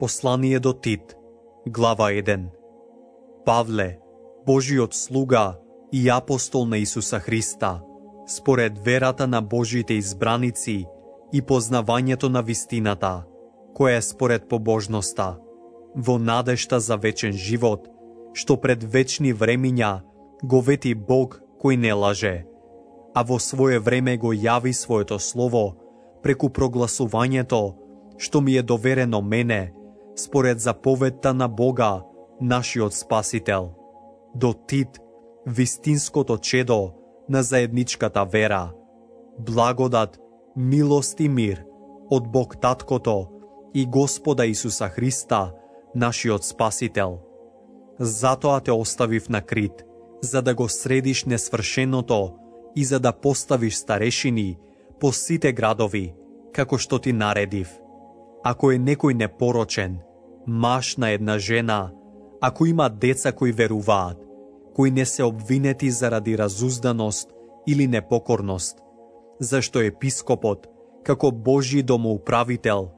Послание до Тит, глава 1. Павле, Божиот слуга и апостол на Исуса Христа, според верата на Божите избраници и познавањето на вистината, која е според побожноста, во надежта за вечен живот, што пред вечни времиња го вети Бог кој не лаже, а во свое време го јави своето слово преку прогласувањето што ми е доверено мене, според заповедта на Бога, нашиот Спасител. До Тит, вистинското чедо на заедничката вера. Благодат, милост и мир од Бог Таткото и Господа Исуса Христа, нашиот Спасител. Затоа те оставив на Крит, за да го средиш несвршеното и за да поставиш старешини по сите градови, како што ти наредив. Ако е некој непорочен, маж на една жена, ако има деца кои веруваат, кои не се обвинети заради разузданост или непокорност, зашто епископот, како Божји домоуправител,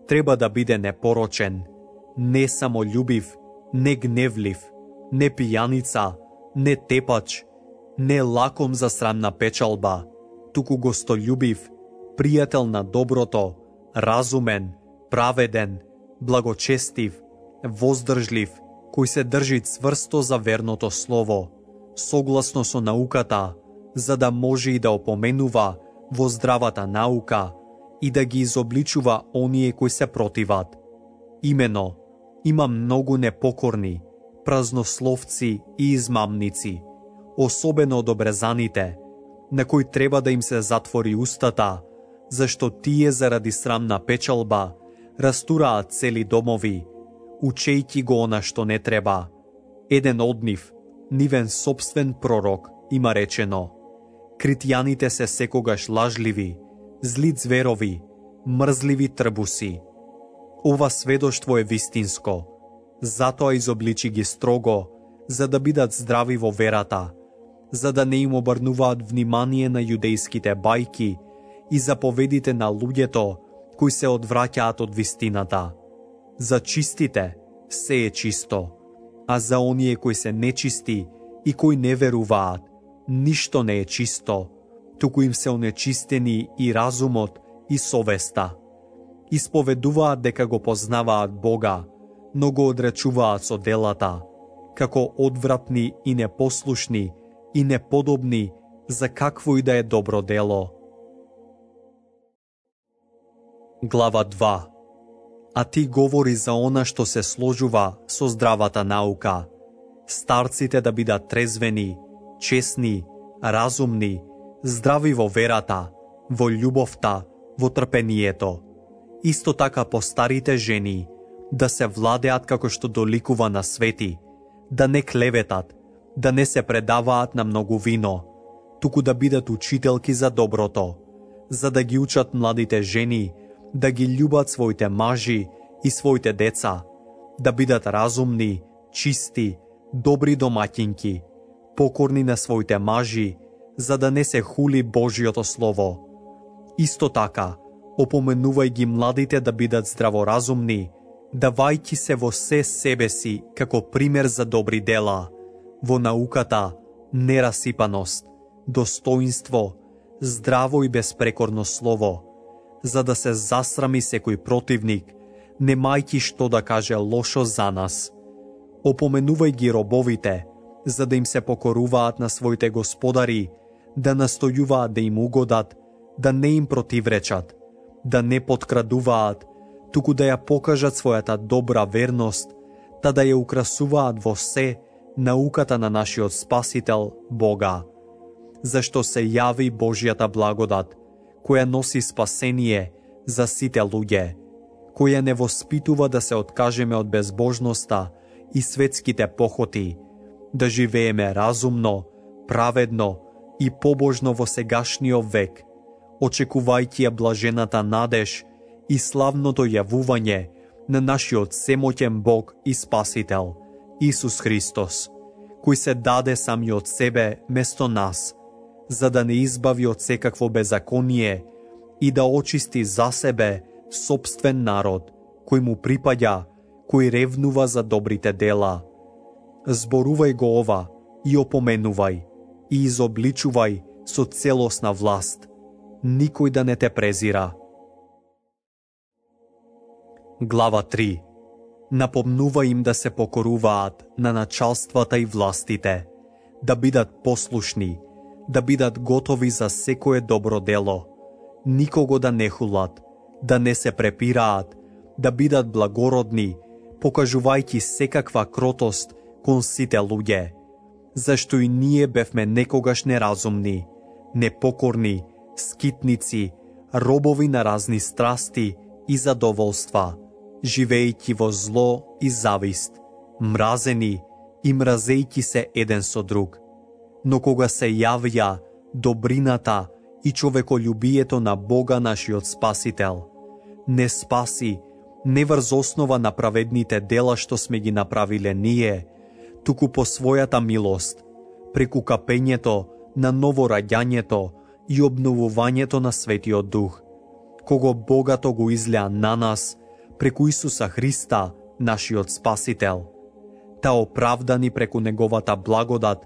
треба да биде непорочен, не самољубив, не гневлив, не пијаница, не тепач, не лаком за срамна печалба, туку гостолюбив, пријател на доброто, разумен, праведен, благочестив, воздржлив, кој се држи цврсто за верното слово, согласно со науката, за да може и да опоменува во здравата наука и да ги изобличува оние кои се противат. Имено, има многу непокорни, празнословци и измамници, особено од обрезаните, на кои треба да им се затвори устата, зашто тие заради срамна печалба растураат цели домови, учејќи го она што не треба. Еден од нив, нивен собствен пророк, има речено: критјаните се секогаш лажливи, зли зверови, мрзливи трбуси. Ова сведоштво е вистинско, затоа изобличи ги строго, за да бидат здрави во верата, за да не им обрнуваат внимание на јудејските бајки и заповедите на луѓето кои се одвраќаат од вистината. За чистите се е чисто, а за оние кои се нечисти и кои не веруваат, ништо не е чисто, туку им се онечистени и разумот и совеста. Исповедуваат дека го познаваат Бога, но го одречуваат со делата, како одвратни и непослушни и неподобни за какво и да е добро дело. Глава 2. А ти говори за она што се сложува со здравата наука. Старците да бидат трезвени, честни, разумни, здрави во верата, во љубовта, во трпението. Исто така по старите жени, да се владеат како што доликува на свети, да не клеветат, да не се предаваат на многу вино, туку да бидат учителки за доброто, за да ги учат младите жени да ги љубат своите мажи и своите деца, да бидат разумни, чисти, добри домаќинки, покорни на своите мажи, за да не се хули Божиото Слово. Исто така, опоменувај ги младите да бидат здраворазумни, давајќи се во се себе си како пример за добри дела, во науката, нерасипаност, достоинство, здраво и безпрекорно слово, за да се засрами секој противник, немајќи што да каже лошо за нас. Опоменувај ги робовите, за да им се покоруваат на своите господари, да настојуваат да им угодат, да не им противречат, да не подкрадуваат, туку да ја покажат својата добра верност, та да ја украсуваат во се науката на нашиот Спасител Бога. Зашто се јави Божјата благодат, која носи спасение за сите луѓе, која не воспитува да се откажеме од безбожноста и светските похоти, да живееме разумно, праведно и побожно во сегашниот век, очекувајќи ја блажената надеж и славното јавување на нашиот семоќен Бог и Спасител, Исус Христос, кој се даде самиот себе место нас, за да не избави од секакво беззаконие и да очисти за себе собствен народ, кој му припаѓа кој ревнува за добрите дела. Зборувај го ова и опоменувај и изобличувај со целосна власт. Никој да не те презира. Глава 3. Напомнува им да се покоруваат на началствата и властите, да бидат послушни, да бидат готови за секое добро дело, никого да не хулат, да не се препираат, да бидат благородни, покажувајќи секаква кротост кон сите луѓе, зашто и ние бевме некогаш неразумни, непокорни, скитници, робови на разни страсти и задоволства, живејќи во зло и завист, мразени и мразејќи се еден со друг. Но кога се јавја добрината и човеколюбието на Бога нашиот Спасител, не спаси не врз основа на праведните дела што сме ги направиле ние, туку по својата милост, преку капењето на новораѓањето и обновувањето на Светиот Дух, кого богато го излеа на нас преку Исуса Христа, нашиот Спасител, та оправдани преку Неговата благодат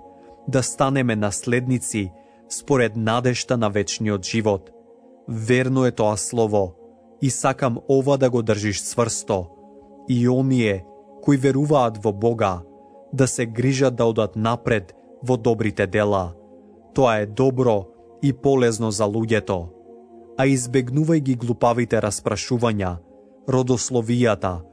да станеме наследници според надежта на вечниот живот. Верно е тоа слово и сакам ова да го држиш цврсто, и оние кои веруваат во Бога да се грижат да одат напред во добрите дела. Тоа е добро и полезно за луѓето. А избегнувај ги глупавите распрашувања, родословијата,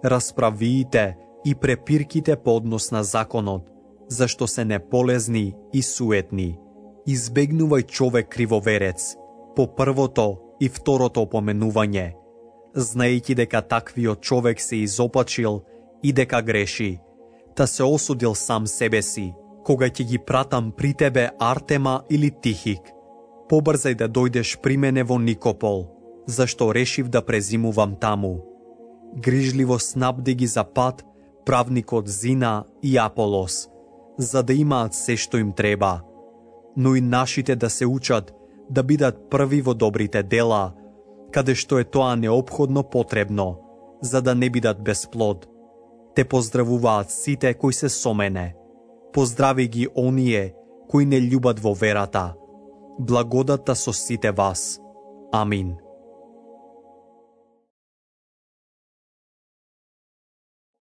расправиите и препирките по однос на законот, зашто се неполезни и суетни. Избегнувај човек кривоверец по првото и второто опоменување, знаејќи дека таквиот човек се изопачил и дека греши, та се осудил сам себе си, кога ќе ги пратам при тебе Артема или Тихик. Побрзај да дојдеш при мене во Никопол, зашто решив да презимувам таму. Грижливо снабди ги за пат правникот Зина и Аполос, за да имаат се што им треба, но и нашите да се учат да бидат први во добрите дела, каде што е тоа неопходно потребно, за да не бидат без плод. Те поздравуваат сите кои се со мене. Поздрави ги оние кои не љубат во верата. Благодата со сите вас. Амин.